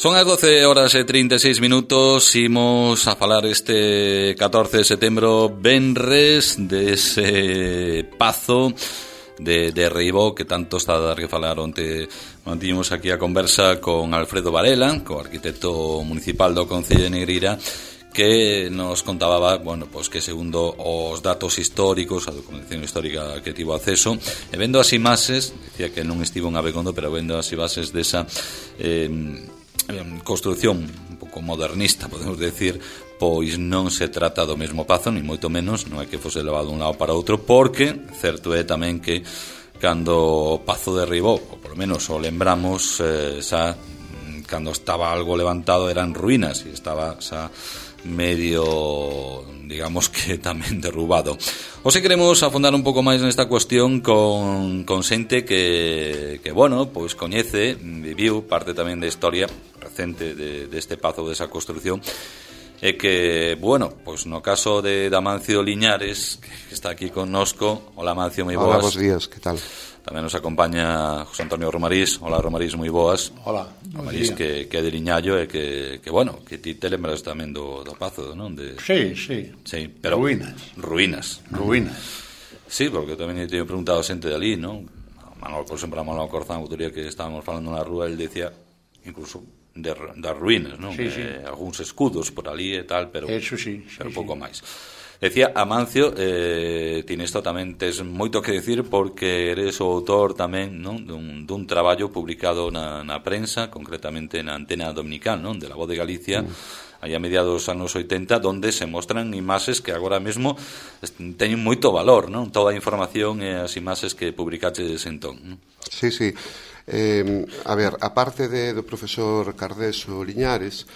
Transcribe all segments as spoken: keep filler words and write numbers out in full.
Son as doce horas e trinta e seis minutos. Imos a falar este catorce de setembro, venres, dese pazo de, de Reibó que tanto está a dar que falar. Onte mantivemos aquí a conversa con Alfredo Varela, co arquitecto municipal do Concello de Negreira, que nos contaba, bueno, pues que segundo os datos históricos, a documentación histórica que tivo acceso, e vendo as imaxes, decía que non estivo en Abegondo, pero vendo as imaxes desa eh, construción un pouco modernista, podemos decir, pois non se trata do mesmo pazo, ni moito menos, non é que fose levado de un lado para outro, porque certo é tamén que cando o pazo derribou, ou por lo menos o lembramos, eh, xa cando estaba algo levantado eran ruínas e estaba xa medio, digamos que tamén derrubado. Hoxe queremos afondar un pouco máis nesta cuestión con, con xente que, que, bueno, pois coñece, viviu parte tamén da historia recente de, deste pazo, desa construción, e que, bueno, pois no caso de Amancio Liñares, que está aquí connosco. Hola, Amancio, moi boas. Hola, bons días, que tal? Tamén nos acompaña José Antonio Romarís. Hola, Romarís, moi boas. Hola, Romarís, que, que é de Liñallo e que, que, bueno, que ti te lembras tamén do, do pazo, non? De... Sí, sí, sí, pero ruínas. Ruínas. Ruínas. Sí, porque tamén teño preguntado a xente de ali, non? Manuel, por exemplo, a Manuel Corzán, o día que estábamos falando na rúa, el decía, incluso, de, das ruínas, non? Sí, sí. Eh, algúns escudos por ali e tal, pero, eso sí, sí, pero sí. pouco máis. Decía, Amancio, eh, ti nesto tamén tes moito que decir porque eres o autor tamén, non, dun, dun traballo publicado na, na prensa, concretamente na Antena Dominical, non, de la Voz de Galicia, mm. aí a mediados dos anos oitenta, donde se mostran imaxes que agora mesmo teñen moito valor, non, toda a información e as imaxes que publicaches entón, non? Sí, sí. Eh, a ver, a parte de, do profesor Cardeso Liñares,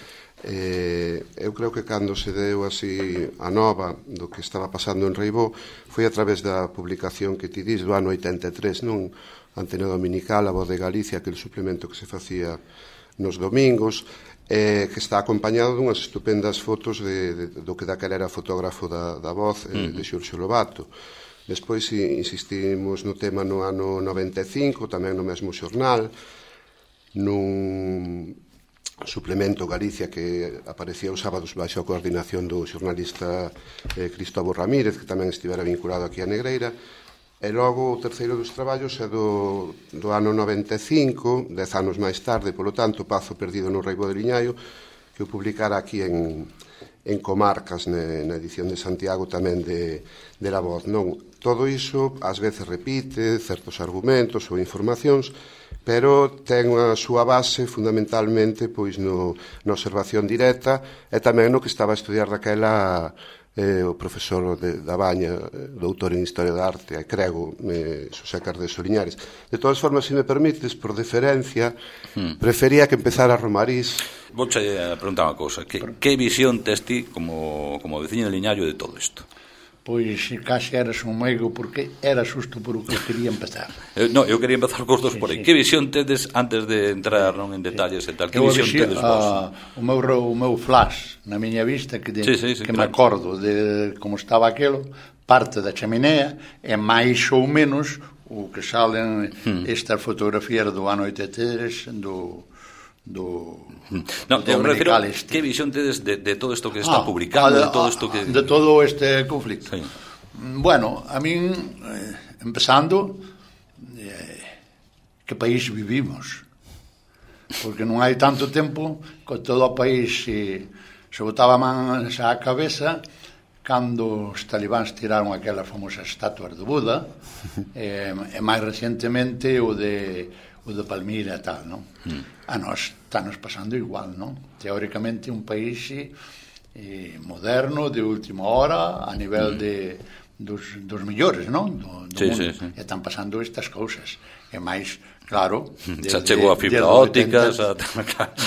Eh, eu creo que cando se deu así a nova do que estaba pasando en Reibó foi a través da publicación que ti dis do ano oitenta e tres, non? Antena Dominical, a Voz de Galicia, aquele suplemento que se facía nos domingos, eh, que está acompañado dunhas estupendas fotos de, de, do que daquela era fotógrafo da, da Voz, eh, de Xurxo Lobato. Despois insistimos no tema no ano noventa e cinco, tamén no mesmo xornal, nun suplemento Galicia que aparecía os sábados baixo a coordinación do xornalista eh, Cristóbal Ramírez, que tamén estivera vinculado aquí a Negreira. E logo o terceiro dos traballos é do, do ano noventa e cinco, dez anos máis tarde, polo tanto, Pazo perdido no Reibó de Liñaio, que o publicara aquí en, en Comarcas, ne, na edición de Santiago tamén de, de La Voz. Non, todo iso ás veces repite certos argumentos ou informacións, pero ten a súa base fundamentalmente pois no, na observación directa e tamén no que estaba a estudiar daquela eh, o profesor de, da Baña, doutor en Historia da Arte, e crego, eh, Xosé Cardeso Liñares. De todas formas, se me permites, por deferencia, hmm. prefería que empezara Romarís. Vou che preguntar unha cousa, que, que visión tes ti como, como veciño de Liñallo de todo isto? Pois case eras un meigo porque era xusto por o que quería empezar. Eu, no, eu quería empezar cos dos sí, por aí. Sí. Que visión tedes antes de entrar non en detalles sí. e tal? Que eu visión visión, tedes vos? A, o, meu, o meu flash na miña vista que, de, sí, sí, sí, que claro. me acordo de como estaba aquilo, parte da chaminea e máis ou menos o que salen hmm. estas fotografías do ano oitenta e tres do do no, do eu refiro, este. que visión tedes de, de todo isto que está ah, publicado, de, de todo isto que... de todo este conflicto. Sí. Bueno, a min eh, empezando eh, que país vivimos, porque non hai tanto tempo que todo o país se, se botaba man á cabeza cando os talibáns tiraron aquelas famosas estatuas de Buda e, e máis recientemente o de o de Palmira e tal, non? Mm. A nós estános pasando igual, non? Teóricamente un país eh, moderno, de última hora, a nivel mm. de dos, dos millores, non? Do, do sí, mundo. Sí, sí. E están pasando estas cousas. E máis, claro... Xa chegou a fibra óptica...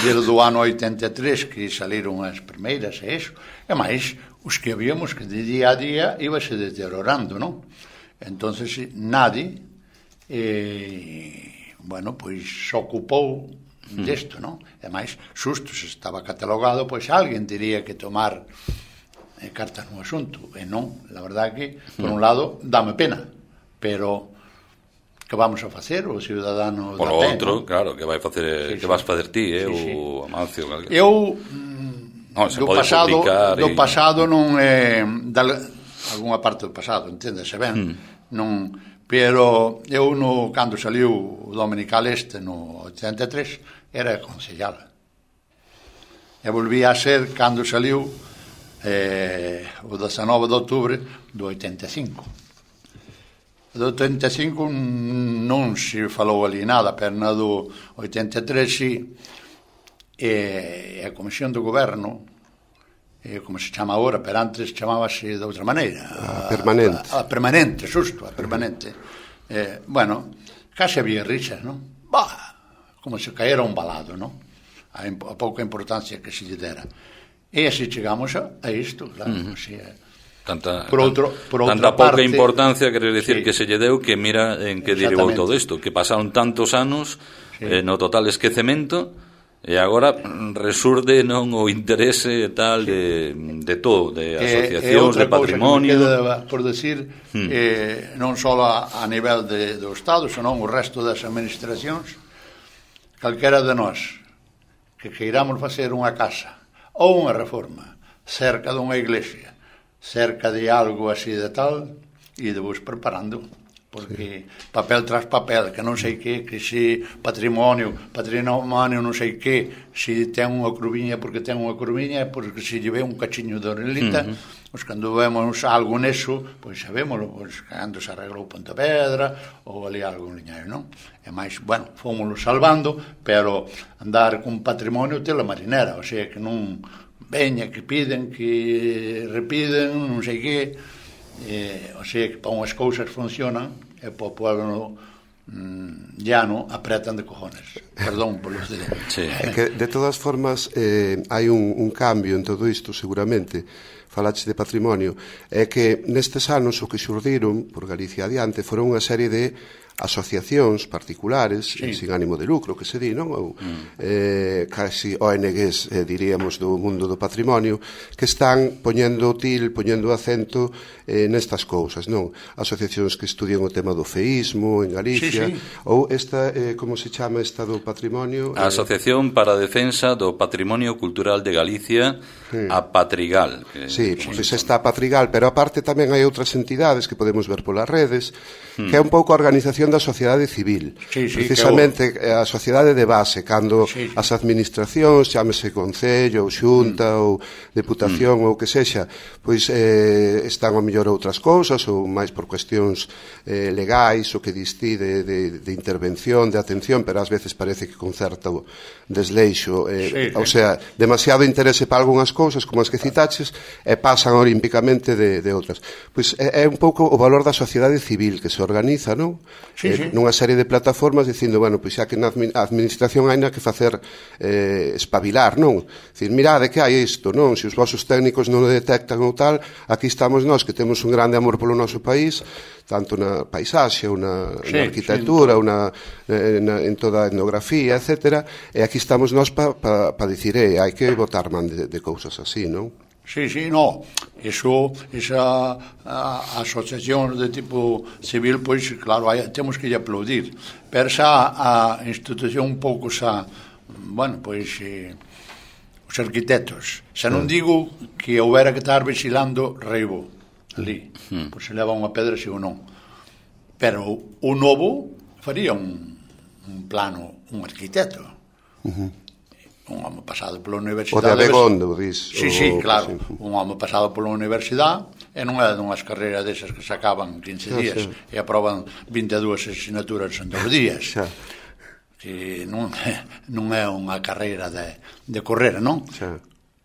Desde o ano oitenta e tres que saliron as primeiras e iso. E máis, os que habíamos que de día a día ibase deteriorando, non? Entonces, nadie... Eh, bueno, pois se ocupou desto, non? E máis, xusto, se estaba catalogado, pois alguén teria que tomar eh, cartas no asunto, e non, la verdad que, por un lado, dame pena, pero que vamos a facer o cidadano por da o pé, outro, non? claro, que vai facer, Sí, que sí. vas facer ti, eh, Sí, sí. o Amancio, calquera. Eu No, se do pode pasado publicar do e- pasado non é dal, algunha parte do pasado, enténdese ben, Hmm. non, pero eu no cando saliu o Dominical Este no oitenta e tres era concellal. E volví a ser cando saliu eh, o dezanove de outubro do oitenta e cinco. Do oitenta e cinco non se falou ali nada, pero na do oitenta e tres si, e a Comisión do Goberno, e como se chama agora, pero antes chamábase de outra maneira. A permanente. A, a permanente, xusto, a permanente. Eh, bueno, case había rixas, non? Bah, como se caera un balado, non? A, a pouca importancia que se lle dera. E así chegamos a, a isto, claro, uh -huh. así é. Tanta, por outro, por tanta outra pouca parte, importancia, quer decir, sí. que se lle deu, que mira en que derivou todo isto, que pasaron tantos anos, sí. eh, no total esquecemento, e agora resurde non o interese tal de, de todo, de asociacións, de patrimonio. E outra cousa que me queda por decir, hmm. eh, non só a, a nivel de, do Estado, senón o resto das administracións, calquera de nós que queiramos facer unha casa ou unha reforma cerca dunha iglesia, cerca de algo así de tal, e de vos preparando, porque sí. papel tras papel, que non sei que, que se patrimonio, patrimonio non sei que, se ten unha curviña porque ten unha curviña, porque se lle ve un cachiño de orelita, uh -huh. pois cando vemos algo neso, pois sabémoslo, pois cando se arreglou Pontevedra, ou ali algo liñario, non? E máis, bueno, fomoslo salvando, pero andar con patrimonio tela marinera, o sea, que non veña, que piden, que repiden, non sei que, eh, o sea, que para unhas cousas funcionan e para o pueblo mm, llano apretan de cojones. Perdón por los de... Sí. É que, de todas formas, eh, hai un, un cambio en todo isto, seguramente, falaches de patrimonio, é que nestes anos o que xurdiron por Galicia adiante foron unha serie de asociacións particulares, sí. sin ánimo de lucro, que se di, non? Ou mm. eh, casi O N Gs, eh, diríamos, do mundo do patrimonio, que están poñendo til, poñendo acento eh, nestas cousas, non? Asociacións que estudian o tema do feísmo en Galicia, sí, sí. ou esta, eh, como se chama esta do patrimonio? A Asociación para a Defensa do Patrimonio Cultural de Galicia, sí. a Patrigal. Que, sí, pois pues está a Patrigal, pero aparte tamén hai outras entidades que podemos ver polas redes, mm. que é un pouco a organización da sociedade civil, sí, sí, precisamente que a sociedade de base, cando sí, sí. as administracións, chámese concello ou xunta mm. ou deputación mm. ou que sexa, pois eh, están ao mellor outras cousas ou máis por cuestións eh, legais o que distí de, de, de intervención, de atención, pero ás veces parece que con certo desleixo, eh, sí, o sea, demasiado interese para algunhas cousas como as que citaches e pasan olímpicamente de, de outras. Pois é, é un pouco o valor da sociedade civil que se organiza, non? Sí, sí. Eh, nunha serie de plataformas dicindo, bueno, pois xa que na administración hai na que facer eh, espabilar, non? Dicir, mirade que hai isto, non? Se os vosos técnicos non o detectan ou tal, aquí estamos nós que temos un grande amor polo noso país, tanto na paisaxe ou na, sí, na arquitectura sí, ou na, na, en toda a etnografía, etcétera, e aquí estamos nós para pa, pa dicir, eh, hai que botar man de, de cousas así, non? Sí, sí, no, eso, esa a, asociación de tipo civil, pois, claro, hai, temos que lle aplaudir, pero xa a institución un pouco xa, bueno, pois, eh, os arquitectos, xa non digo que houbera que estar vigilando Reibo, ali, hmm. pois se leva unha pedra si ou non, pero o novo faría un, un plano, un arquitecto, uh -huh. un home pasado pola universidade. O de Abegondo, dis. Sí, sí, claro, un home pasado pola universidade e non é dunhas carreiras desas que sacaban quince días e aproban vinte e dúas asignaturas en dous días. Que non, non é unha carreira de, de correr, non?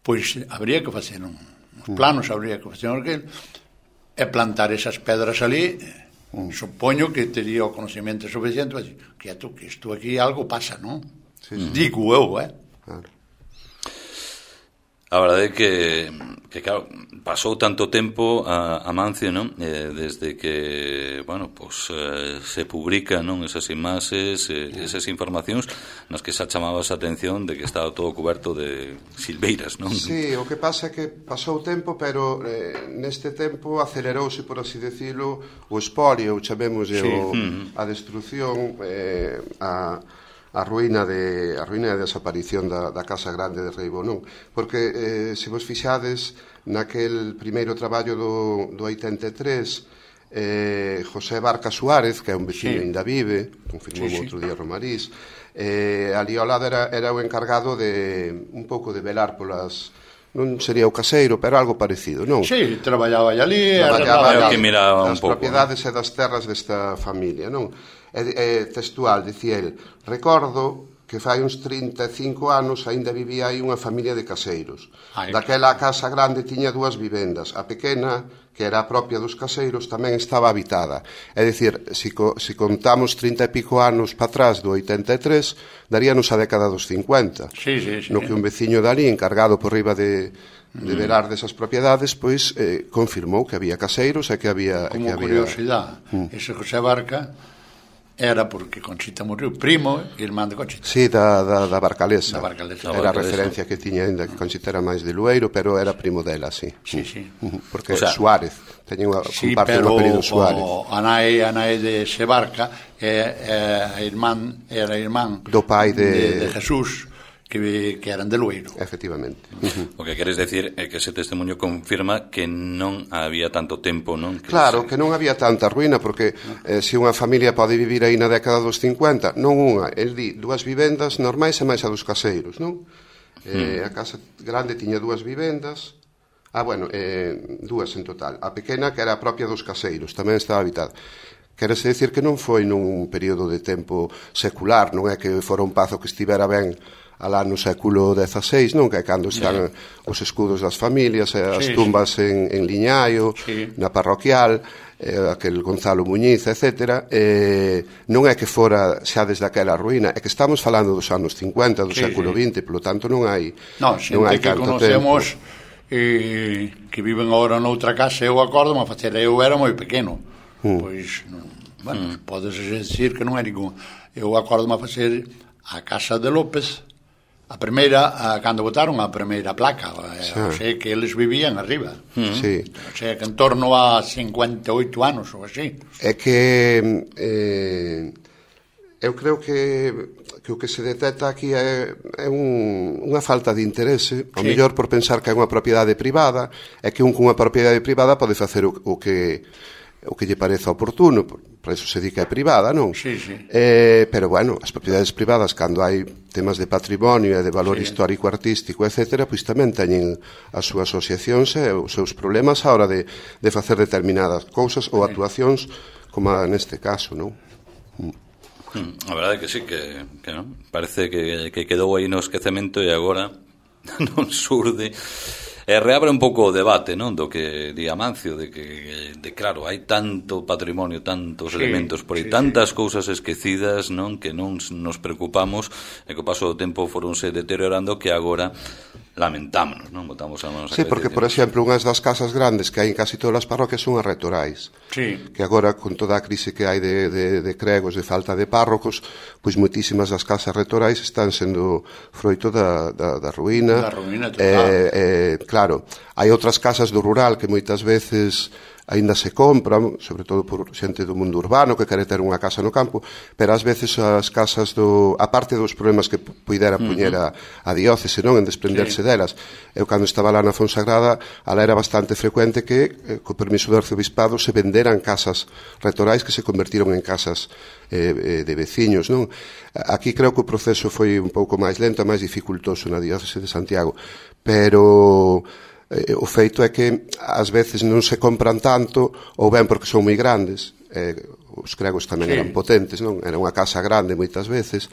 Pois habría que facer un, uns planos, habría que facer un aquel, e plantar esas pedras ali. Supoño que tería o conocimiento suficiente para dicir, quieto, que isto aquí algo pasa, non? Digo eu, eh? Claro. A verdade é que, que claro, pasou tanto tempo a, a Mancio, non? Eh, desde que, bueno, pues, eh, se publican, non, esas imaxes, eh, esas informacións nas que xa chamabas a atención de que estaba todo coberto de silveiras, non? Sí, o que pasa é que pasou tempo, pero eh, neste tempo acelerouse, por así decirlo, o espolio, chamemos sí. o, mm. a destrucción, eh, a... a ruína de a ruína de desaparición da, da Casa Grande de Reibó, non? Porque eh, se vos fixades naquel primeiro traballo do, do oitenta e tres, eh, José Barca Suárez, que é un veciño sí. ainda vive, confirmou sí, sí. outro día Romariz, eh, ali ao lado era, era o encargado de un pouco de velar polas, non sería o caseiro, pero algo parecido, non? Sí, traballaba ali, traballaba ali, que miraba un das pouco, propiedades e das terras desta familia, non? É, é textual, dicía el, recordo que fai uns trinta e cinco anos aínda vivía aí unha familia de caseiros. Ay, daquela a casa grande tiña dúas vivendas, a pequena, que era a propia dos caseiros, tamén estaba habitada. É dicir, se, co, se contamos trinta e pico anos para atrás do oitenta e tres, daríanos a década dos cincuenta. Sí, sí, sí. No que un veciño dali, encargado por riba de... de velar desas propiedades, pois eh, confirmou que había caseiros e que había... Como que había... curiosidade, mm. ese José Barca era porque Conchita morreu, primo e irmán de Conchita. Sí, da, da, da Barcalesa. Da Barcalesa. Era a referencia que tiña ainda, que Conchita era máis de Lueiro, pero era primo dela, sí. Sí, sí. Porque o sea, Suárez, teña unha, sí, comparte un apelido Suárez. O anai, anai de Sebarca é, é, irmán, era irmán do pai de, de, de Jesús, que, que eran de Lueiro. Efectivamente. Uh-huh. O que queres decir é que ese testemunho confirma que non había tanto tempo, non? Que claro, se... que non había tanta ruína, porque eh, se unha familia pode vivir aí na década dos cincuenta, non unha, el di dúas vivendas normais e máis a dos caseiros, non? Eh, mm. A casa grande tiña dúas vivendas, ah, bueno, eh, dúas en total. A pequena, que era a propia dos caseiros, tamén estaba habitada. Querese decir que non foi nun período de tempo secular, non é que fora un pazo que estivera ben alá no século dezaseis, non? Que é cando están sí. os escudos das familias, as sí, tumbas sí. en, en Liñaio, sí. na parroquial, eh, aquel Gonzalo Muñiz, etcétera. Eh, non é que fora xa desde aquela ruína, é que estamos falando dos anos cincuenta, do sí, século sí. vinte, polo tanto non hai non, non hai que conocemos eh, que viven agora noutra casa, eu acordo a facer, eu era moi pequeno, mm. pois, non, bueno, mm. podes decir que non é ningún. Eu acordo a facer a casa de López, a primeira, a, cando botaron a primeira placa, sí. o sea, que eles vivían arriba. Mm. Sí. O sea, que en torno a cincuenta e oito anos ou así. É que eh, eu creo que, que o que se detecta aquí é, é un, unha falta de interese, ao sí. mellor por pensar que é unha propiedade privada, é que un cunha propiedade privada pode facer o, o que o que lle pareza oportuno, por, por eso se di que é privada, non? Sí, sí. Eh, pero, bueno, as propiedades privadas, cando hai temas de patrimonio e de valor sí. histórico, artístico, etcétera, pois tamén teñen as súas asociacións e os seus problemas a hora de, de facer determinadas cousas ou actuacións, como neste caso, non? Mm. A verdade é que sí, que, que non? Parece que, que quedou aí no esquecemento e agora non surde. E reabre un pouco o debate, non, do que di Amancio, de que, de claro, hai tanto patrimonio, tantos sí, elementos por aí, sí, tantas sí. cousas esquecidas, non, que non nos preocupamos, e que o paso do tempo foronse deteriorando, que agora lamentámonos, non, botamos a manos a sí, porque, por exemplo, unhas das casas grandes que hai en casi todas as parroquias son as retorais, sí. que agora, con toda a crise que hai de, de, de cregos, de falta de párrocos, pois moitísimas das casas retorais están sendo froito da, da, da ruína. Da ruína, eh, eh, claro, hai outras casas do rural que moitas veces aínda se compran, sobre todo por xente do mundo urbano que quere ter unha casa no campo, pero ás veces as casas do, a parte dos problemas que puidera puñer a, a diócese, non, en desprenderse sí. delas. Eu cando estaba lá na Fonsagrada, ala era bastante frecuente que, eh, co permiso do arcebispado, se venderan casas retorais que se convertiron en casas eh, de veciños, non? Aquí creo que o proceso foi un pouco máis lento, máis dificultoso na diócese de Santiago, pero eh, o feito é que ás veces non se compran tanto, ou ben porque son moi grandes, eh, os cregos tamén sí. eran potentes, non? Era unha casa grande moitas veces,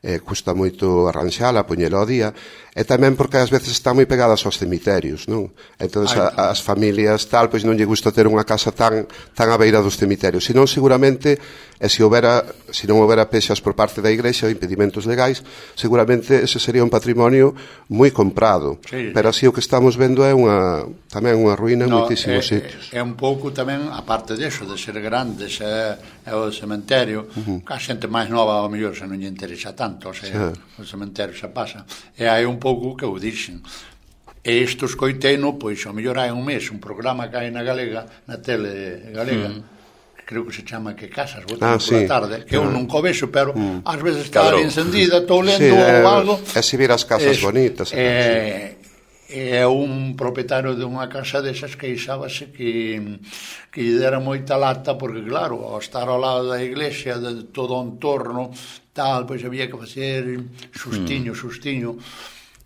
eh, custa moito arranxala, poñela ao día, e tamén porque ás veces están moi pegadas aos cemiterios, non? Entón, a, as familias tal, pois non lle gusta ter unha casa tan tan á beira dos cemiterios, senón seguramente, e se houbera, se non houbera pexas por parte da Igrexa ou impedimentos legais, seguramente ese sería un patrimonio moi comprado, sí, pero así o que estamos vendo é unha tamén unha ruína en no, moitísimos é, sitios. É un pouco tamén, a parte deso, de ser grandes, é, é o cementerio, uh-huh. que a xente máis nova ao mellor se non lle interesa tanto, o sea, sí. O cementerio xa pasa. E hai un pouco que o dixen. E isto escoiteino, pois, ao mellor hai un mes, un programa que hai na Galega, na tele galega, mm. creo que se chama Que Casas, botan ah, por sí. a tarde, que eu ah. non co vexo, pero mm. ás veces está ali encendida, estou lendo sí, é, algo. E se vir as casas es, bonitas. É, é un propietario de unha casa desas que queixábase que, que lle dera moita lata, porque claro, ao estar ao lado da iglesia, de todo o entorno, tal, pois había que facer sustiño, mm. sustiño.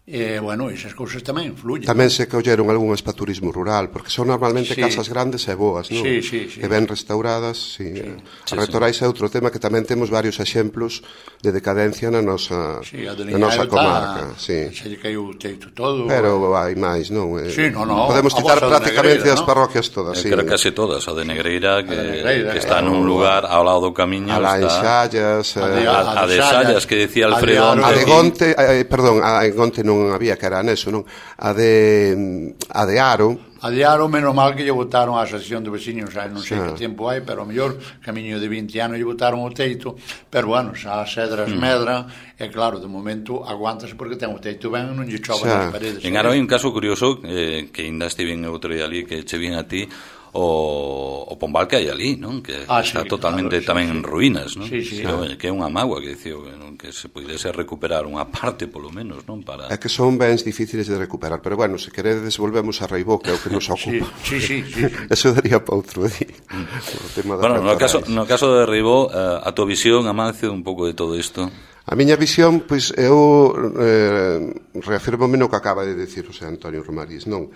E, bueno, esas cousas tamén influyen. Tamén se colleron algunhas para turismo rural, porque son normalmente sí. casas grandes e boas, non? Sí, sí, sí. Que ben restauradas, sí. sí. sí a Retorais sí. é outro tema que tamén temos varios exemplos de decadencia na nosa, sí, na nosa comarca. Sí. Se lle caiu o teito todo. Pero hai máis, non? Eh, sí, no, no. Podemos citar prácticamente as parroquias todas, sí. sí. Creo case todas, a de Negreira, que, Negreira, que está eh, nun lugar ao lado do camiño. A la Enxallas. A de, a, a de Xallas, que decía Alfredo. A de Gonte, eh, perdón, a de Gonte non había, que era eso, non? A de a de Aro. A de Aro, menos mal que lle botaron a asociación de veciños, xa non sei ah. que tempo hai, pero ao mellor camiño de vinte anos lle botaron o teito, pero bueno, xa as cedras mm. medran, e claro, de momento aguántase porque ten o teito ben e non lle chova nas paredes. En Aro hai un caso curioso, eh, que ainda estive en outro día ali, que che vin a ti, o, o pombal que hai ali, non? Que ah, está sí, totalmente claro, tamén sí, en ruínas, non? Sí, sí, que, ah. que é unha mágoa, que dicía, non? Que se pudese recuperar unha parte, polo menos, non? Para... É que son bens difíciles de recuperar, pero bueno, se queredes volvemos a Reibó, que é o que nos ocupa. Sí, sí, sí, sí. Eso daría para outro día. Mm. Bueno, no caso, no caso de Reibó, a, a tua visión, Amancio, un pouco de todo isto. A miña visión, pois, eu eh, reafirmo no que acaba de decir o señor Antonio Romarís, non?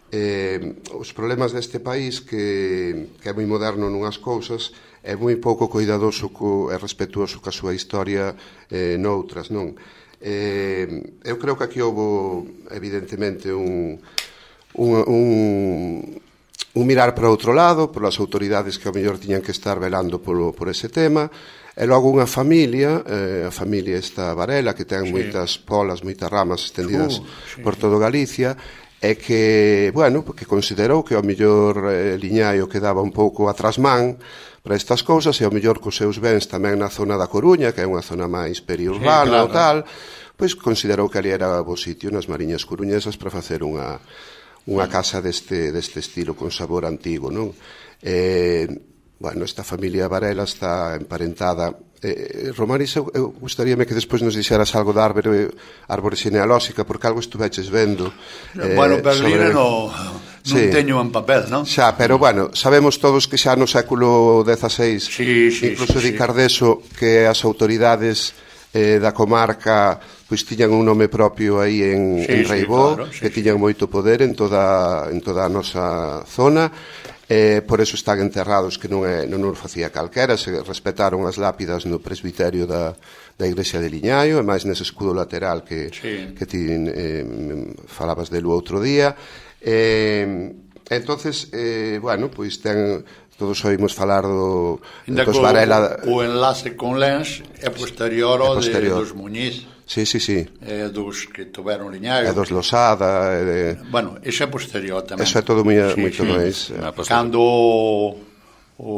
Eh, os problemas deste país que, que é moi moderno nunhas cousas é moi pouco cuidadoso co, e respetuoso ca súa historia eh, noutras, non? Eh, eu creo que aquí houve evidentemente un, un, un, un mirar para outro lado polas autoridades que ao mellor tiñan que estar velando polo, por ese tema, e logo unha familia, eh, a familia esta Varela, que ten sí. moitas polas, moitas ramas estendidas uh, sí, por todo Galicia, é que, bueno, que considerou que ao mellor eh, Liñaio quedaba un pouco atrasmán para estas cousas e ao mellor cos seus bens tamén na zona da Coruña, que é unha zona máis periurbana sí, claro. ou tal, pois considerou que ali era bo sitio nas Mariñas Coruñesas para facer unha, unha casa deste, deste estilo con sabor antigo, non? Eh, bueno, esta familia Varela está emparentada. Eh, Romaris, eu, eu gustaríame que despois nos dixeras algo da árbore, árbore xenealóxica, porque algo estuveches vendo. Eh, bueno, Berlina sobre... no, non sí. teño en papel, non? Xa, pero bueno, sabemos todos que xa no século dezaseis, sí, sí, incluso sí, di sí. Cardeso, que as autoridades eh, da comarca pois tiñan un nome propio aí en, sí, en Reibó, sí, claro, sí, que tiñan sí. moito poder en toda, en toda a nosa zona. Eh, por eso están enterrados, que non, é, non nos facía calquera, se respetaron as lápidas no presbiterio da, da igrexa de Liñaio, e máis nese escudo lateral que, sí. que ti eh, falabas delo outro día. Eh, entonces, eh, bueno, pois ten... Todos oímos falar do, dos Varela... O enlace con Lens é posterior ao de, dos Muñiz. Sí, sí, sí. É dos que tuveron Liñaio. É dos Losada. É de... Bueno, eso é posterior tamén. Eso é todo moi, sí, moito sí. máis. Cando o, o,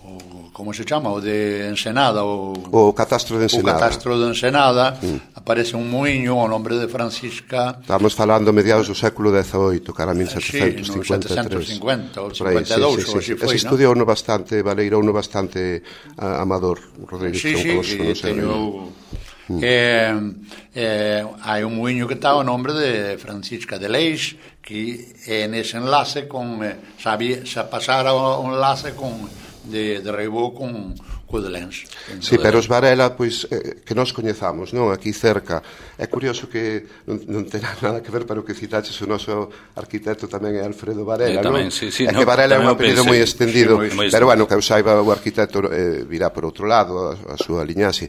o... como se chama? O de Ensenada. O, o catastro de Ensenada. O catastro de Ensenada. Mm. Aparece un muiño ao nombre de Francisca. Estamos falando mediados do século dezaoito, cara mil setecentos cincuenta e tres. Sí, no setecentos cincuenta ou cincuenta e dous, sí, sí, ou así sí. foi, Ese ¿no? estudiou no bastante, valeirouno no bastante uh, Amador Rodríguez. Sí, sí, sí, no sé, teño... Mm. Eh, eh, hai un muiño que está ao nombre de Francisca de Leix, que é nese enlace con, eh, sabía, se pasara o enlace con de, de Reibó con, Cudelense. Sí, pero os Varela, pois, eh, que nós coñezamos, non? Aquí cerca. É curioso que non, non ten nada que ver, pero que citaches o noso arquitecto tamén é Alfredo Varela, eh, tamén, non? Sí, sí, é no, que Varela é un apelido moi estendido, sí, moi pero bueno, que eu saiba o arquitecto eh, virá por outro lado, a, a súa liñaxe.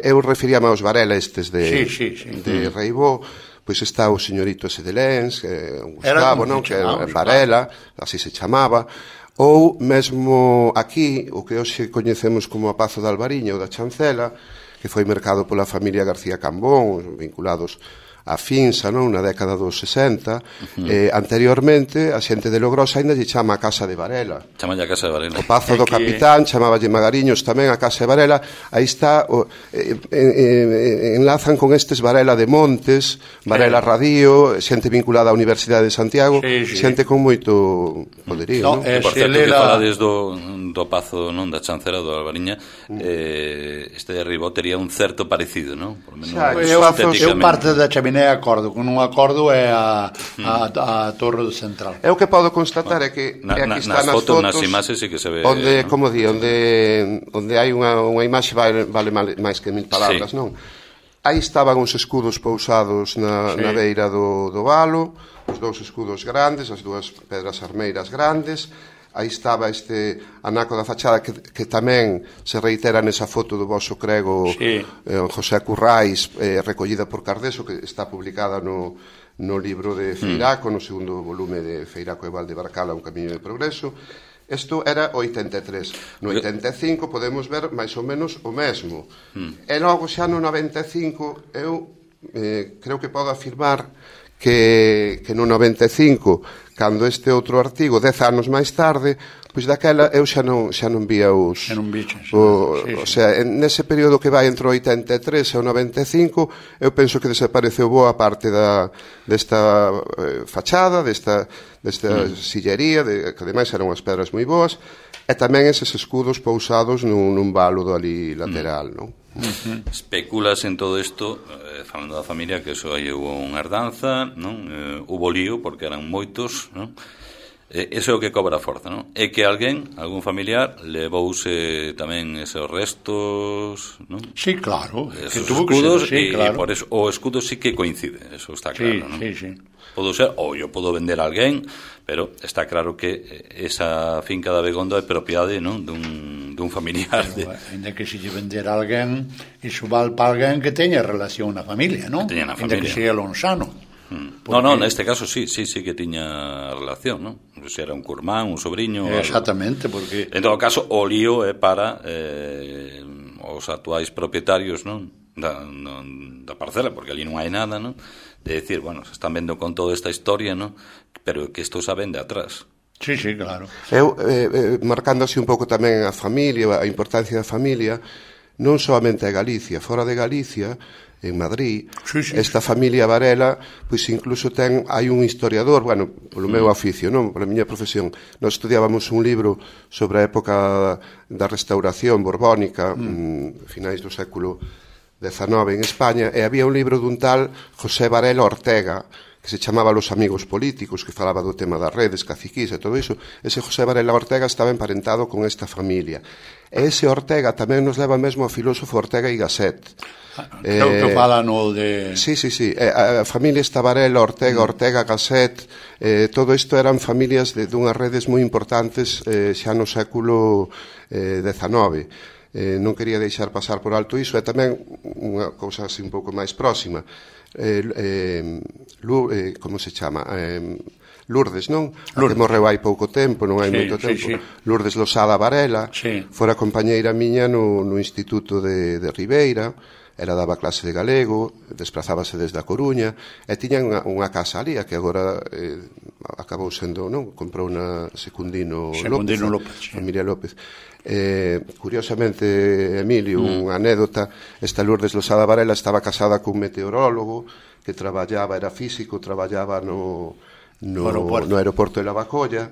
Eu referíame aos Varela estes de, sí, sí, sí. de Reibó, pois está o señorito ese de Lens, eh, Gustavo, non? Que é Varela, así se chamaba. Ou mesmo aquí, o que hoxe coñecemos como a Pazo de Alvariño ou da Chancela, que foi mercado pola familia García Cambón, vinculados a Finsa, non? Na década dos sesenta. Uh-huh. eh, anteriormente, a xente de Logrosa ainda lle chama a Casa de Varela. Chama a Casa de Varela. O Pazo do Capitán, chamáballe Magariños tamén a Casa de Varela. Aí está, o, eh, eh, enlazan con estes Varela de Montes, Varela Radio, xente vinculada á Universidade de Santiago, sí, sí. Xente con moito poderío, no, non? Eh, por certo, que falades do, do Pazo, non, da Chancela do Alvariña, mm. eh, este de Ribó tería un certo parecido, non? Por menos xa, eu, eu parte da chaminé acordo, con un acordo é a, a, a Torre do Central. É o que podo constatar é que na, é aquí na, están nas fotos, nas nas imaxes sí que se ve, onde, ¿no? como di, onde, onde hai unha, unha imaxe vale, vale máis que mil palabras, sí. Non? Aí estaban os escudos pousados na, sí. na beira do, do valo, os dous escudos grandes, as dúas pedras armeiras grandes. Aí estaba este anaco da fachada que, que tamén se reitera nesa foto do vosso crego, sí. eh, José Currais, eh, recollida por Cardeso, que está publicada no, no libro de Feiraco, mm. no segundo volume de Feiraco e Valdebarcala, Un camiño de progreso. Isto era oitenta e tres. No oitenta e cinco podemos ver máis ou menos o mesmo. Mm. E logo xa no noventa e cinco eu eh, creo que podo afirmar que, que no noventa e cinco, cando este outro artigo, dez anos máis tarde, pois daquela eu xa non, xa non vía os... Xa non biches. O, sí, sí. O sea, en nese período que vai entre o oitenta e tres e o noventa e cinco, eu penso que desapareceu boa parte da, desta eh, fachada, desta, desta mm. sillería, de, que ademais eran unhas pedras moi boas, e tamén eses escudos pousados nun, nun valo do ali lateral, mm. non? Uh-huh. Especulas en todo isto, eh, falando da familia, que eso aí hubo unha herdanza, non? Eh, hubo lío porque eran moitos, non? Eh, eso é o que cobra forza, non? É que alguén, algún familiar, levouse tamén esos restos, non? Sí, claro, esos que tuvo escudos, que ser, sí, e, claro. E por eso o escudo sí que coincide, eso está claro, sí, non? Sí, sí. Podo ser, ou eu podo vender a alguén, pero está claro que esa finca da Begondo é propiedade, non? Dun, dun familiar. Pero, de... Ainda que se lle vender a alguén, iso val para alguén que teña relación na familia, non? Que teña na familia. Ainda que sea lonsano. Hmm. Porque... No, no, neste caso sí, sí, sí que tiña relación, non? Se era un curmán, un sobrinho... Exactamente, algo. Porque... En todo caso, o lío é para eh, os actuais propietarios, non? Da, no, da parcela, porque ali non hai nada, non? De decir, bueno, se están vendo con toda esta historia, ¿no? Pero que isto se vende atrás. Sí, sí, claro. Eu, eh, eh, marcando así un pouco tamén a familia, a importancia da familia, non solamente a Galicia, fora de Galicia, en Madrid, sí, sí, esta familia Varela, pois incluso ten, hai un historiador, bueno, polo meu oficio, non, pola miña profesión, nós estudiábamos un libro sobre a época da restauración borbónica, mm. finais do século dezenove en España, e había un libro dun tal José Varela Ortega, que se chamaba Los Amigos Políticos, que falaba do tema das redes, caciquís e todo iso. Ese José Varela Ortega estaba emparentado con esta familia. E ese Ortega tamén nos leva mesmo ao filósofo Ortega y Gasset. Creo eh, que fala no de... Sí, sí, sí. Eh, a familia esta Varela, Ortega, Ortega, Gasset, eh, todo isto eran familias de dunhas redes moi importantes eh, xa no século eh, dezenove. Eh, non quería deixar pasar por alto iso, e tamén unha cousa así un pouco máis próxima, eh, eh, Lu, eh, como se chama eh, Lourdes, non? Lourdes. Que morreu hai pouco tempo, non hai sí, moito tempo, sí, sí. Lourdes Losada Varela, sí. Fora compañeira miña no, no Instituto de, de Ribeira. Ela daba clase de galego, desplazábase desde a Coruña, e tiña unha, unha casa ali, que agora eh, acabou sendo, non? Comprou na Secundino, Secundino López, López sí. Familia López. Eh, curiosamente, Emilio, mm. unha anécdota, esta Lourdes Losada Varela estaba casada cun meteorólogo que traballaba, era físico, traballaba no, no, no aeroporto de Lavacolla,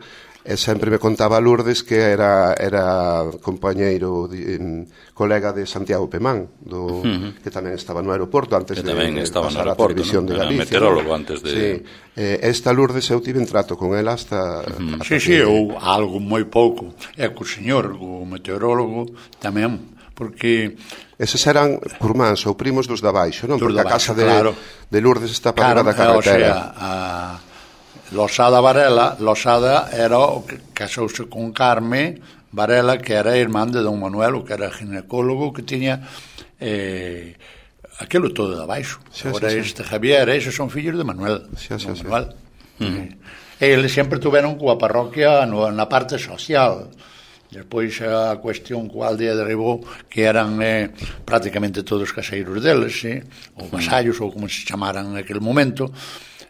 e sempre me contaba Lourdes que era era compañeiro de, colega de Santiago Pemán, do, uh-huh. que tamén estaba no aeroporto antes que de, de pasar a televisión, ¿no?, de Galicia. Era meteorólogo antes de... Sí. Eh, esta Lourdes eu tive en trato con ela hasta... Uh-huh. hasta sí, que... sí, ou algo moi pouco. E co señor, o meteorólogo, tamén, porque... Eses eran curmáns ou primos dos de abaixo, non? Porque a casa de, claro. de Lourdes está para claro, da carretera. O sea, a... Losada Varela, Losada era o que casouse con Carme Varela, que era irmán de don Manuel, que era ginecólogo, que tiña eh, aquilo todo de abaixo. Sí, agora sí, este sí. Javier, esos son fillos de Manuel, sí, sí, don Manuel. Sí. Uh-huh. Eles sempre tuveron coa parroquia no, na parte social. Despois a cuestión coa aldea de Ribó, que eran eh, prácticamente todos caseiros deles, eh, ou vasallos, ou como se chamaran naquele momento.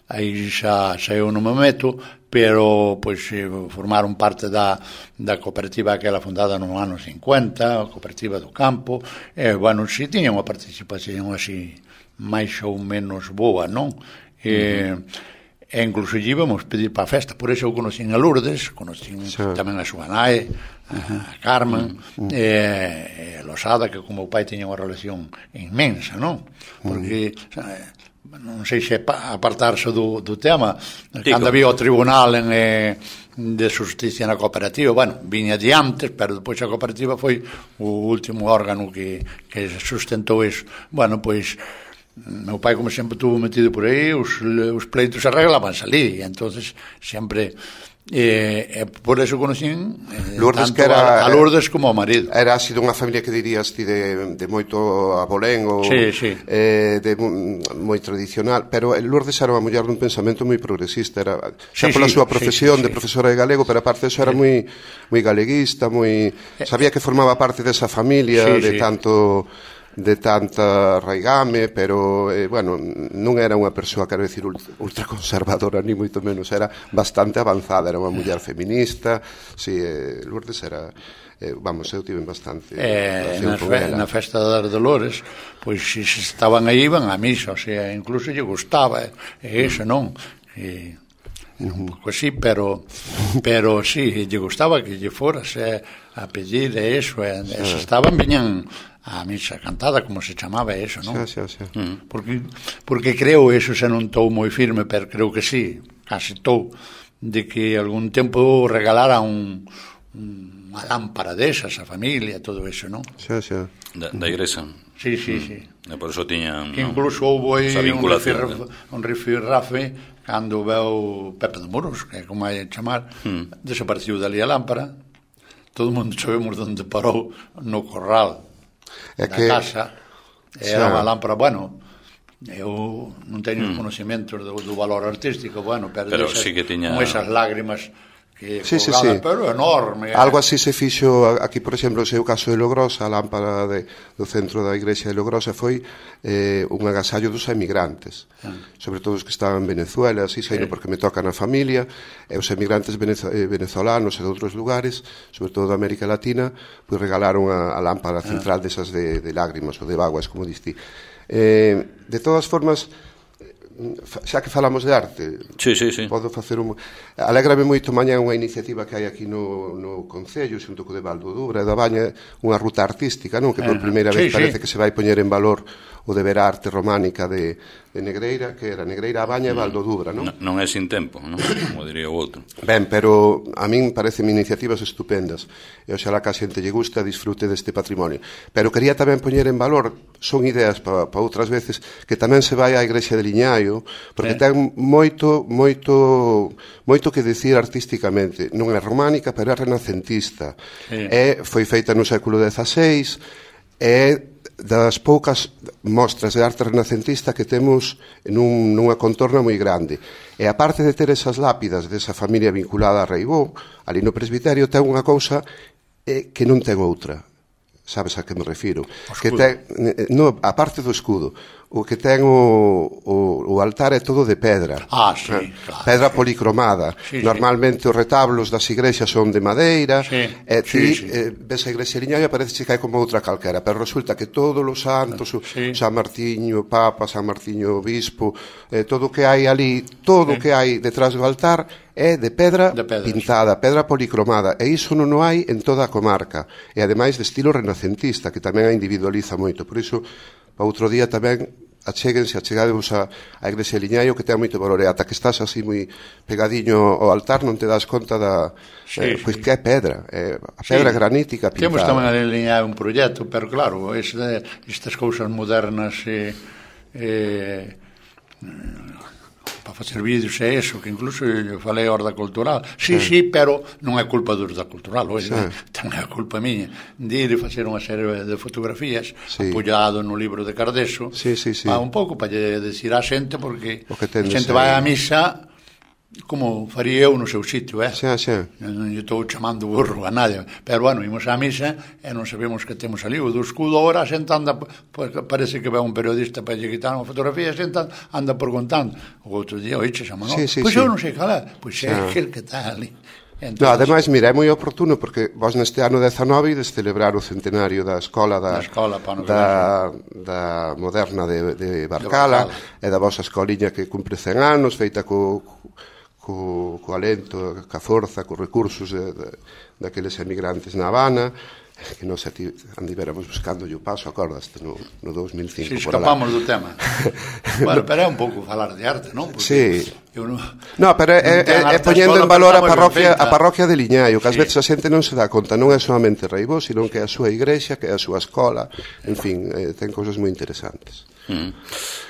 Aí xa, xa eu non me meto, pero pois formaron parte da, da cooperativa aquela fundada no ano cincuenta, a cooperativa do campo, e, bueno, si tiña unha participación así máis ou menos boa, non? E, uh-huh. e incluso íbamos pedir para a festa, por eso eu conocín a Lourdes, conocín sí. tamén a súa nai, a Carmen, uh-huh. e, e a Losada, que como o pai tiña unha relación inmensa, non? Porque... Uh-huh. non sei se apartarse do, do tema, Tico. Cando había o tribunal en, eh, de justicia na cooperativa, bueno, viña de antes, pero depois a cooperativa foi o último órgano que, que sustentou iso. Bueno, pois meu pai, como sempre, estuvo metido por aí, os, os pleitos arreglabanse ali, e entonces sempre... E, e por eso conocín eh, Lourdes, tanto que era, a, a Lourdes como ao marido. Era así dunha familia que dirías ti de, de moito abolengo, sí, sí. Eh, de moi tradicional, pero Lourdes era unha muller dun pensamento moi progresista, era xa sí, pola sí, súa profesión sí, sí, de profesora de galego, pero aparte eso era sí. moi moi galeguista, moi sabía que formaba parte desa familia sí, de sí. tanto de tanta raigame, pero, eh, bueno, non era unha persoa, quero dicir, ultraconservadora, ni moito menos, era bastante avanzada, era unha muller feminista, si, eh, Lourdes era, eh, vamos, eu tive bastante eh, na, fe, na festa das Dolores, pois, se estaban aí, iban a misa, o sea, incluso lle gustaba, e eh, iso non, e... un pouco así, pero pero sí, lle gustaba que lle forase a pedir e eso, e, e se estaban, viñan a misa cantada, como se chamaba eso, non? Sí, sí, sí. Mm. Porque, porque creo, eso se non estou moi firme, pero creo que sí, casi estou, de que algún tempo regalara un, un, unha lámpara desas a familia, todo eso, non? Sí, sí. Da, da igrexa. Sí, sí, mm. sí. E por eso tiñan... Que incluso houve un rifirrafe cando veu Pepe de Muros, que é como hai a chamar, mm. desapareceu dali a lámpara, todo o mundo sabemos onde parou, no corral é da que... casa, era unha lámpara, bueno, eu non teño mm. conhecimentos do, do valor artístico, bueno, pero, pero desas, sí que tiña... con esas lágrimas que sí, sí, colgada, sí. pero enorme. Algo así se fixo aquí, por exemplo, o seu caso de Logrosa, a lámpara de, do centro da igrexa de Logrosa foi eh, un agasallo dos emigrantes, ah. sobre todo os que estaban en Venezuela, así saído sí. porque me toca na familia, e os emigrantes venezo, eh, venezolanos e de outros lugares, sobre todo da América Latina, pois regalaron a, a lámpara central ah. desas de, de lágrimas ou de vaguas, como diste. Eh, de todas formas, xa que falamos de arte, sí, sí, sí. podo facer un... Alégrame moito mañá unha iniciativa que hai aquí no, no Concello, xunto co de Valdo Dubra e da Baña, unha ruta artística, non? Que por primeira vez sí, parece sí. que se vai poñer en valor o de ver a arte románica de, de Negreira, que era Negreira, a Baña e Valdo Dubra, non? Non, non é sin tempo, non? Como diría o outro. Ben, pero a min parecen iniciativas estupendas, e oxalá que a xente lle gusta, disfrute deste patrimonio. Pero quería tamén poñer en valor, son ideas para pa outras veces, que tamén se vai á igrexa de Liñaio, porque eh. ten moito, moito, moito que decir artísticamente. Non é románica, pero é renacentista. Eh. E foi feita no século dezaseis, e das poucas mostras de arte renacentista que temos nun, nunha contorna moi grande. E aparte de ter esas lápidas desa familia vinculada a Reibó, ali no presbiterio ten unha cousa eh, que non ten outra. Sabes a que me refiro? Que ten, no, a parte do escudo, o que ten o, o, o altar é todo de pedra. Ah, sí, eh? claro. Pedra policromada. Sí, Normalmente sí. os retablos das igrexas son de madeira, sí, e ti sí, sí. Eh, ves a igrexa liñaia e parece que é como outra calquera, pero resulta que todos os santos, sí. San Martiño Papa, San Martiño Obispo, eh, todo o que hai ali, todo o sí. que hai detrás do altar é de pedra, de pedra pintada, sí. pedra policromada, e iso non o hai en toda a comarca, e ademais de estilo renacentista, que tamén a individualiza moito. Por iso, para outro día tamén achéguense, achegadevos a, a igrexa de Liñaio, que ten moito valor, e ata que estás así moi pegadiño ao altar non te das conta da sí, eh, pois sí. que é pedra, é a pedra sí. granítica pintada. Temos tamén a liñar un proxecto, pero claro, este, estas cousas modernas e eh, eh, para facer vídeos é eso, que incluso eu falei a Horda Cultural. Sí, sí, sí, pero non é culpa do Horda Cultural, hoxe, sí. tamén é culpa miña de ir e facer unha serie de fotografías sí. apoiado no libro de Cardeso, sí, sí, sí. para un pouco, para lle decir á xente, porque a xente aí. vai á misa como faría eu no seu sitio, eh? Xa, xa. Non lle estou chamando burro a nadie, pero bueno, imos á misa e non sabemos que temos ali o do escudo, ahora a xente anda, pues, parece que vai un periodista para lle quitar unha fotografía, a xente anda preguntando, o outro día, oiche, xa Manolo, sí, sí, pois sí. eu non sei cal é, pois é aquel que está ali. Entonces, no, ademais, mira, é moi oportuno porque vos neste ano dezanove ides celebrar o centenario da escola da, da, escola, da, da moderna de, de Barcala, de Barcala e da vosa escoliña que cumpre cen anos, feita co co, co alento, ca forza, co recursos de, de, daqueles emigrantes na Habana, que nos andivéramos buscando o paso, acordaste, no, no dos mil cinco. Si, sí, escapamos do tema. Bueno, pero é un pouco falar de arte, non? Sí. Eu non, no, pero é, é, é poñendo en valor a parroquia, a parroquia de Liñaio, que ás sí. veces a xente non se dá conta, non é solamente Reibó, sino que é a súa igrexa, que é a súa escola, en fin, eh, ten cousas moi interesantes. Mm.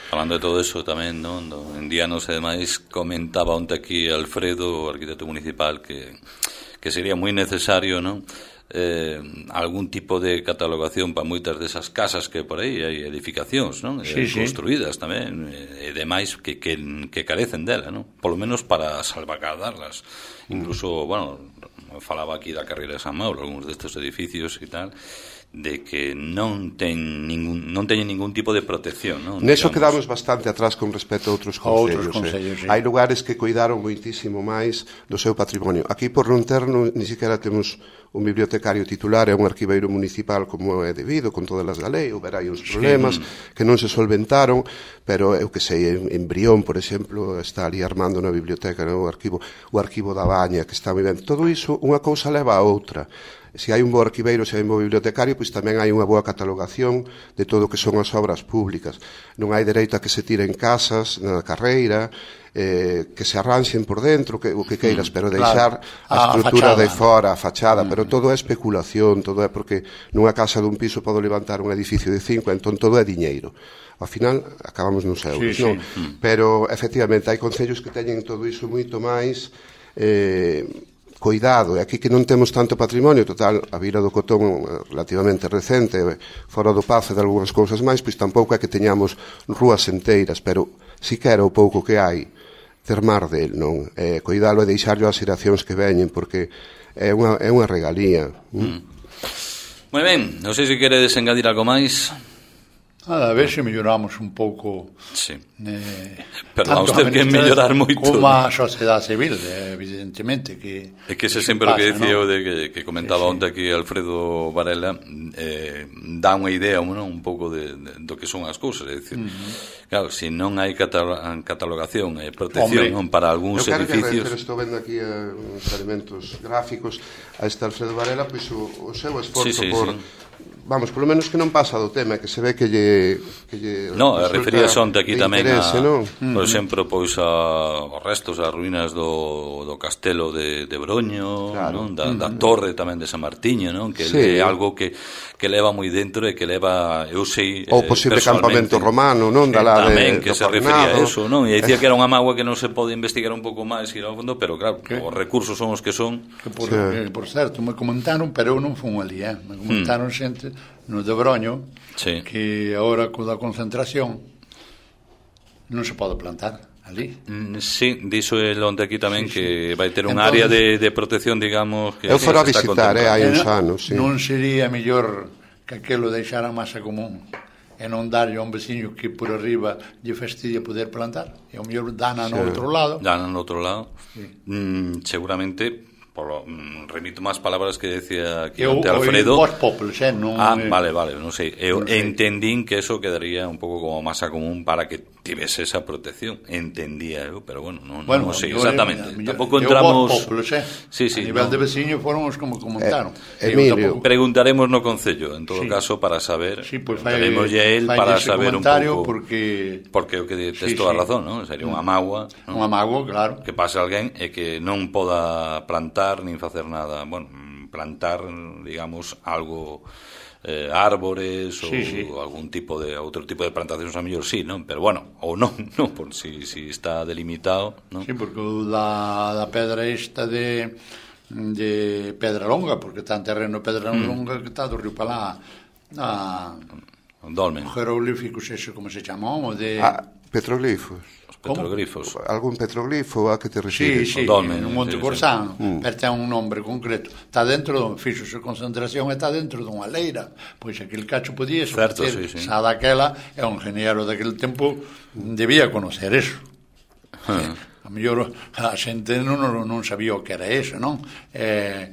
Falando de todo eso tamén, non? En Dianos, ademais, comentaba onte aquí Alfredo, o arquitecto municipal, que, que sería moi necesario, non? Eh, algún tipo de catalogación para moitas desas casas que por aí hai edificacións, non? Sí, eh, sí. construídas tamén, e demais que, que, que carecen dela, non? Polo menos para salvaguardarlas. Incluso, bueno, falaba aquí da carreira de San Mauro, algúns destes edificios e tal, de que non ten ningún non teñen ningún tipo de protección, non? Neso quedamos bastante atrás con respecto a outros concellos, outros concellos, eh. sí. Hai lugares que cuidaron moitísimo máis do seu patrimonio. Aquí por non ter ni siquiera temos un bibliotecario titular e un arquiveiro municipal como é debido, con todas as da lei, houber aí uns problemas sí. que non se solventaron, pero eu que sei, en, en Brión, por exemplo, está ali armando na biblioteca, no? o arquivo o arquivo da Baña, que está moi ben. Todo iso, unha cousa leva a outra. Se hai un bo arquiveiro, se hai un bo bibliotecario, pois tamén hai unha boa catalogación de todo o que son as obras públicas. Non hai dereito a que se tiren casas na carreira, eh, que se arranxen por dentro, que, o que queiras, pero deixar claro. a estrutura a de fora, a fachada, mm. pero todo é especulación, todo é porque nunha casa dun piso podo levantar un edificio de cinco, entón todo é diñeiro. Ao final acabamos nos euros, sí, non? Sí. Mm. Pero efectivamente hai concellos que teñen todo iso moito máis eh, cuidado, e aquí que non temos tanto patrimonio, total, a Vila do Cotón relativamente recente, fora do Pazo e de algunhas cousas máis, pois tampouco é que teñamos rúas enteiras, pero si que era o pouco que hai, termar del, non? Eh, cuidalo e deixarlo ás xeracións que veñen, porque é unha, é unha regalía. Mm. Moi ben, non sei se queredes engadir algo máis. A ver se melloramos un pouco. Sí. Eh, pero vamos ter que mellorar moito. Como a sociedade civil, evidentemente que é que ese sempre o que dicía ¿no? o de que, que comentaba sí, sí. onte aquí Alfredo Varela, eh, dá unha idea, ¿no? un pouco de, de, do que son as cousas, é dicir, uh-huh. claro, se si non hai catalogación e protección non, para algúns eu edificios. Eu estou vendo aquí uh, uns elementos gráficos a este Alfredo Varela, pois o, o seu esforzo sí, sí, por sí. Vamos, polo menos que non pasa do tema, que se ve que lle... Que lle no, refería onte aquí tamén a, non? por exemplo, pois a, os restos, as ruínas do, do castelo de, de Broño, claro. non? Da, da torre tamén de San Martiño, non? Que sí. é algo que, que leva moi dentro e que leva, eu sei... O posible campamento romano, non? Da la tamén, de, que se refería a eso, non? E dicía que era unha mágoa que non se pode investigar un pouco máis ir ao fondo, pero claro, ¿qué? Os recursos son os que son. Que por, sí. que, por certo, me comentaron, pero eu non fun ali, eh? Me comentaron mm. xente no de Broño, sí. que agora co da concentración non se pode plantar ali. Mm, sí, dixo el onte aquí tamén sí, que sí. vai ter un Entonces, área de, de protección, digamos, que eu fora a visitar, eh, hai uns anos, sí. Non sería mellor que aquelo deixara masa común e non darlle a un veciño que por arriba lle fastidia poder plantar, e ao mellor dana no outro lado. Dana no outro lado. Sí. Mm, seguramente, polo, mm, remito máis palabras que decía aquí Eu, ante Alfredo. Eu, os populos, eh, non... Ah, vale, vale, non sei. Eu non sei. entendín que eso quedaría un pouco como masa común para que tivese esa protección. Entendía eu, pero bueno, non, bueno, non sei yo, exactamente. Yo, Tampouco eu, entramos... Eu, populos, eh. Sí, sí, a nivel no. de veciño foron os como comentaron. Eh, Emilio. Tampouco... Preguntaremos no Concello, en todo Sí. caso, para saber. Sí, pues fai, Preguntaremoslle a él fai para ese saber un comentario pouco. porque... Porque o que tes Sí, toda a sí. razón, non? Sería unha mágoa, non? Un amago, claro. Que pase alguén e que non poda plantar nin facer nada, bueno, plantar, digamos, algo, eh, árbores ou Sí, sí. algún tipo de outro tipo de plantacións a mellor sí, non? Pero bueno, ou non, non, por si, si está delimitado, non? Sí, porque o da, da pedra esta de de Pedra Longa, porque está en terreno Pedra Longa que está do río Palá a Dolmen, jeroglíficos, eso como se chamou, o de... Ah, petroglifos. os petroglifos. Algún petroglifo a que te Sí, refires? sí, Dolmen, no Monte sí, Corsán, sí. pero ten un nombre concreto. Está dentro, fixose concentración, está dentro dunha leira. Pois aquel cacho podía Certo, facer, sí, sí. xa daquela, é un ingeniero daquele tempo, debía conocer eso. Ah. A mellor a xente non, non sabía o que era eso, non? E,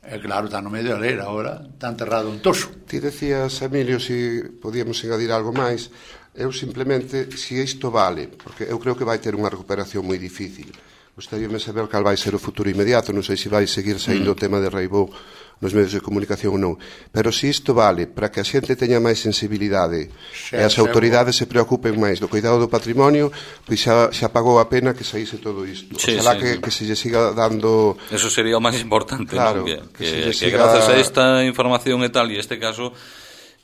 e claro, está no medio da leira agora, está enterrado un toso. Ti decías, Emilio, si podíamos engadir algo máis. Eu simplemente, si isto vale, porque eu creo que vai ter unha recuperación moi difícil. Gostaríame saber cal vai ser o futuro inmediato, non sei se vai seguir saindo mm. o tema de Reibó nos medios de comunicación ou non, pero se isto vale para que a xente teña máis sensibilidade Xa, e as xa, autoridades se preocupen máis do cuidado do patrimonio, pois xa, xa pagou a pena que saíse todo isto. Sí, Oxalá sí, que, sí. que se lle siga dando... Eso sería o máis importante, Claro, non? Que, que que, se lle que siga- gracias a esta información e tal, e este caso,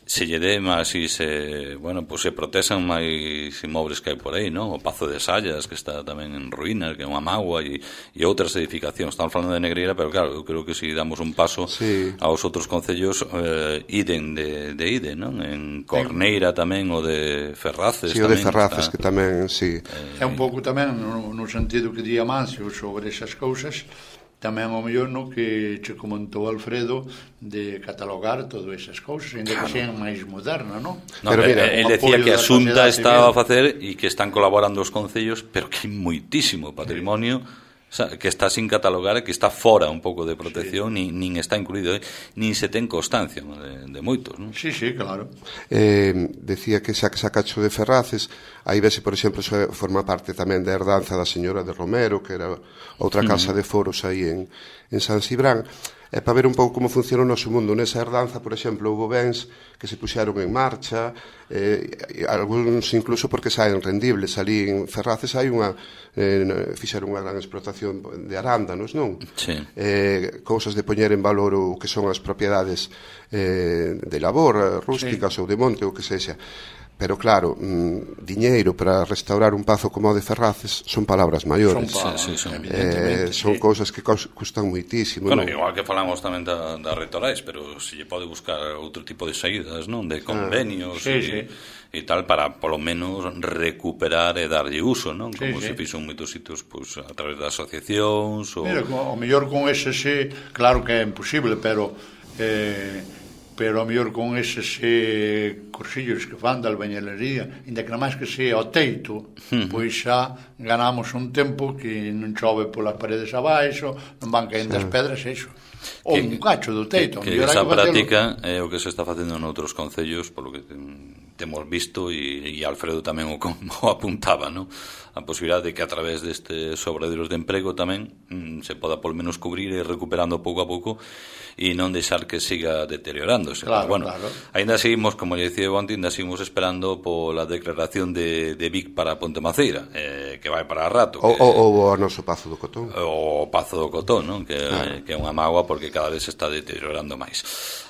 se lle dé máis e se, bueno, pues se protexan máis inmobles que hai por aí, non? O Pazo de Sallas, que está tamén en ruínas, que é unha mágoa, e, e outras edificacións. Estamos falando de Negreira, pero claro, eu creo que se si damos un paso Sí. aos outros concellos, eh, iden de, de ide, non? En Corneira tamén, o de Ferraces Si, o de tamén. Ferraces, está, que tamén, si. É un pouco tamén no, no sentido que di Amancio sobre esas cousas, tamén ao mellor no que che comentou Alfredo de catalogar todas esas cousas, ainda que sean máis modernas, non? No, Pero mira, él o decía apoio que a da Xunta sociedade estaba a civil. facer e que están colaborando os concellos, pero que hai moitísimo patrimonio que está sin catalogar e que está fora un pouco de protección, sí. nin, nin está incluído, eh? nin se ten constancia de, de moitos, non? Sí, sí, claro. Eh, decía que xa que sacacho de Ferraces, aí vese, por exemplo, so, forma parte tamén da herdanza da señora de Romero, que era outra casa uh-huh. de foros aí en, en San Cibrán. É para ver un pouco como funciona o noso mundo. Nesa herdanza, por exemplo, houve bens que se puxeron en marcha, eh, algúns incluso porque saen rendibles. Ali en Ferraces hai unha, eh, fixeron unha gran explotación de arándanos, non? Sí. Eh, cousas de poñer en valor o que son as propiedades eh, de labor, rústicas sí. ou de monte, ou que sexa. Pero claro, mm, diñeiro para restaurar un pazo como o de Ferraces son palabras maiores. Son, pa, sí, sí, son. Eh, son sí. cousas que custan moitísimo. Bueno, non? igual que falamos tamén da, da Retorais, pero se lle pode buscar outro tipo de saídas, non? De convenios sí, e, sí. e tal, para polo menos recuperar e darlle uso, non? Sí, Como sí. se fixo en moitos sitios, pues, a través das asociacións ou... Mira, o mellor con ese sí, claro que é imposible, pero eh, pero a mellor con eses eh, cursillos que fan de albañilería, ainda que máis que sea o teito, uh-huh. pois xa ganamos un tempo que non chove polas paredes abaixo, non van caendo as pedras, eso. Ou un cacho do teito. Que, que esa práctica é o que se está facendo noutros concellos, polo que temos visto, e, e Alfredo tamén o, o apuntaba, non? A posibilidade de que a través destes obradoiros de emprego tamén mm, se poda polo menos cubrir e recuperando pouco a pouco e non deixar que siga deteriorándose. Claro, bueno, claro. Ainda seguimos, como lle dicía onte, ainda seguimos esperando pola declaración de, de Vic para Ponte Maceira, eh, que vai para rato. Ou que, o, o noso Pazo do Cotón. O Pazo do Cotón, non? Que, Claro. que é unha mágoa porque cada vez se está deteriorando máis.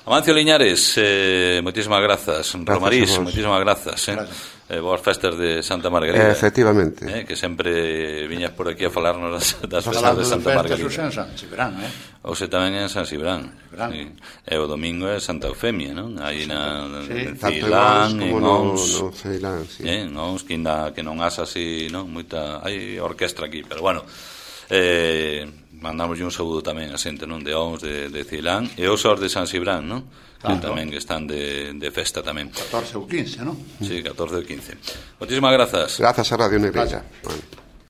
Amancio Liñares, eh, moitísimas grazas. Romarís, moitísimas grazas. Eh? Gracias. Eh, boas festas de Santa Margarida. Eh, efectivamente. Eh, que sempre viñas por aquí a falarnos das, das festas Falando de de Santa festas, Margarida. o en San Cibrán, eh? Ose tamén en San Cibrán. Cibrán. Sí. E o domingo é Santa Eufemia, non? Aí na, Sí. en Tanto Ceilán, en en como no, Ons. no Ceilán, sí. Eh, en Ons, que, ainda, que non asa así, non? Moita, hai orquestra aquí, pero bueno, eh, mandamos un saúdo tamén a xente, non, de Ons, de, de Cilán, e os os de San Cibrán, non? Que claro, tamén están de, de festa tamén. catorce ou quince, non? Sí, catorce ou quince. Moitísimas grazas. Grazas a Radio Negreira. Bueno.